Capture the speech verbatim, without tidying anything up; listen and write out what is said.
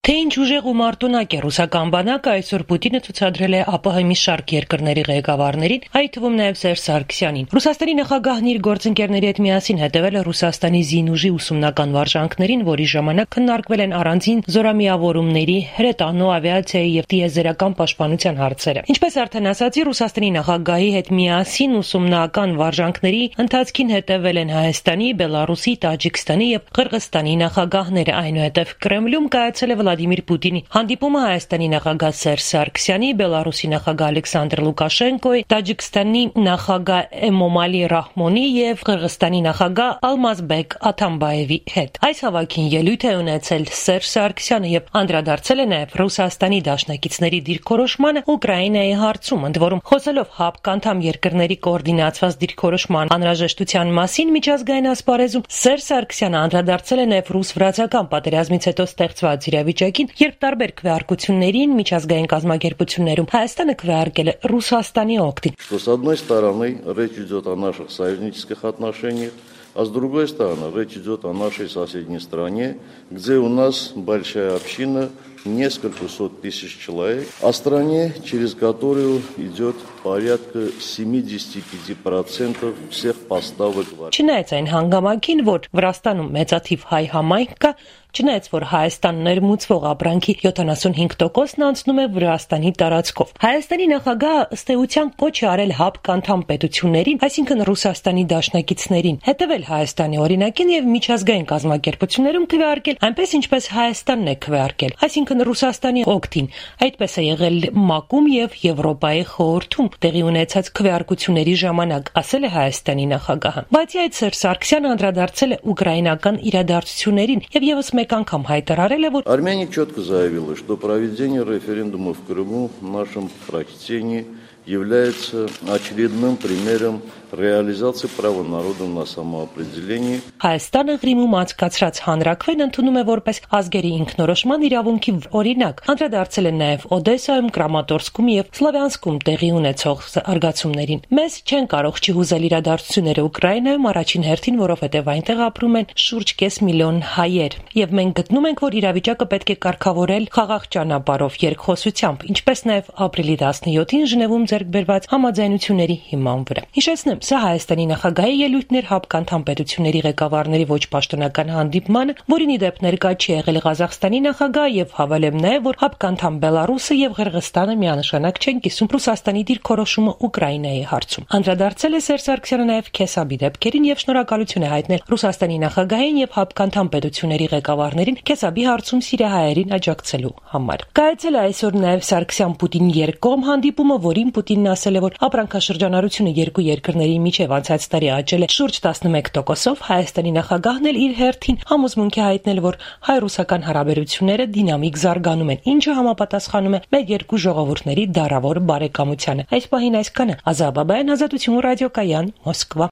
Թե ինչ ուժեղ ու մարտունակ է ռուսական բանակը, այսօր Պուտինը ցուցադրել է ԱՊՀ մի շարք երկրների ղեկավարներին, այդ թվում նաև Սերժ Սարգսյանին։ Ռուսաստանի նախագահն իր գործընկերների հետ միասին հետևել է Ռուսաստանի զինուժի ուսումնական վարժանքներին, որի ժամանակ քննարկվել են առանձին զորամիավորումների, հրետանու, ավիացիայի եւ տիեզերական պաշտպանության հարցերը։ Ինչպես արդեն ասացի, Ռուսաստանի նախագահի հետ միասին ուսումնական վարժանքների ընթացքին հետևել են Հայաստանի, Բելարուսի, Տաջիկստանի եւ Ղրղստանի նախագահները, այնուհետև Կրեմլում կայացել է Վլադիմիր Պուտինի հանդիպումը Հայաստանի նախագահ Սերժ Սարգսյանի, Բելարուսի նախագահ Ալեքսանդր Լուկաշենկոյի, Տաջիկստանի նախագահ Էմոմալի Ռահմոնի եւ Ղրղստանի նախագահ Ալմազբեկ Աթամբաևի հետ։ Այս հավաքին ելույթ է ունեցել Սերժ Սարգսյանը եւ անդրադարձել է նաեւ Ռուսաստանի դաշնակիցների դիրքորոշմանը Ուկրաինայի հարցում, ընդ որում խոսելով ՀԱՊԿ անդամ երկրների կոորդինացված դիրքորոշման անհրաժեշտության մասին միջազգային ասպարեզում, Սերժ Սարգսյանը անդրադարձել է նաեւ ռուս-վրացական պատերազմից հետո ստեղծված իրավիճակին, երբ տարբեր քվեարկություններին միջազգային կազմակերպություններում Հայաստանը քվեարկել է Ռուսաստանի օգտին։ Что с одной стороны речь идет о наших союзнических отношениях, а с другой стороны речь идет о нашей соседней стране, где у нас большая община, несколько сот тысяч человек, о стране, через которую идет порядка семьдесят пять процентов всех поставок. Չնայած այն հանգամանքին, որ Վրաստանում մեծաթիվ հայ համայնք կա, չնայած որ Հայաստան ներմուծվող ապրանքի յոթանասունհինգ տոկոսն անցնում է Վրաստանի տարածքով։ Հայաստանի նախագահը ըստ էության կոչ է արել ՀԱՊԿ անդամ պետություններին, այսինքն Ռուսաստանի դաշնակիցներին, հետևել Հայաստանի օրինակին եւ միջազգային կազմակերպություններում քվեարկել այնպես, ինչպես Հայաստանն է քվեարկել, այսինքն Ռուսաստանի օգտին։ Այդպես է եղել ՄԱԿ-ում եւ Եվրոպայի խորհրդում տեղի ունեցած քվեարկությունների ժամանակ, ասել է Հայաստանի նախագահը։ Բացի այդ, Սերժ Սարգսյանը անդրադարձել է ուկրաինական իրադարձություններին եւ եւս մեկ անգամ հայտարարել է, որ Армения четко заявила, что проведение референдума в Крыму в нашем прочтении является очередным примером реализации права народа на самоопределение. Հայաստանը Ղրիմում անցկացրած հանրաքվեն ընդունում է որպես ազգերի ինքնորոշման իրավունքի օրինակ։ Անդրադարձել են նաև Օդեսայում, Կրամատորսկում եւ Սլավյանսկում տեղի ունեցող զարգացումներին։ Մեզ չեն կարող չհուզել իրադարձությունները Ուկրաինայում, առաջին հերթին, որովհետեւ այնտեղ ապրում են շուրջ կես միլիոն հայեր, եւ մենք գտնում ենք, որ իրավիճակը պետք է կարգավորել խաղաղ ճանապարհով, երկխոսությամբ, ինչպես նաև ապրիլի տասնյոթին Ժնևում ձեռք բերված համաձայնությունների հիման վրա։ Հիշեցնեմ, սա Հայաստանի նախագահի ելույթներ ՀԱՊԿ անդամ պետությունների ղեկավարների ոչ պաշտոնական հանդիպմանը, որին ի դեպ ներկա չի եղել Ղազախստանի նախագահ, եւ հավելեմ նաեւ, որ ՀԱՊԿ անդամ Բելարուսը եւ Ղրղստանը միանշանակ չեն կիսում Ռուսաստանի դիրքորոշումը Ուկրաինայի հարցում։ Անդրադարձել է Սերժ Սարգսյանը նաեւ Քեսաբի դեպքերին եւ շնորհակալություն է հայտնել Ռուսաստանի նախագահին եւ ՀԱՊԿ անդամ պետությունների ղեկավարներին Քեսաբի հարցում սիրիահայերին աջակցելու համար։ Կայացել է այսօր նաեւ Սարգսյան-Պուտին երկկողմ հանդիպումը, որին Պուտինն ասել է, որ ապրանքաշրջանառությունը երկու երկրների միջև անցած տարի աճել է շուրջ տասնմեկ տոկոսով, Հայաստանի նախագահն էլ իր հերթին համոզմունք է հայտնել, որ հայ-ռուսական հարաբերությունները դինամիկ զարգանում են, ինչը համապատասխանում է մեր երկու ժողովուրդների դարավոր բարեկամությանը։ Այս պահին այսքանը։ Ազատ Բաբայան, Ազատություն ռադիոկայան, Մոսկվա։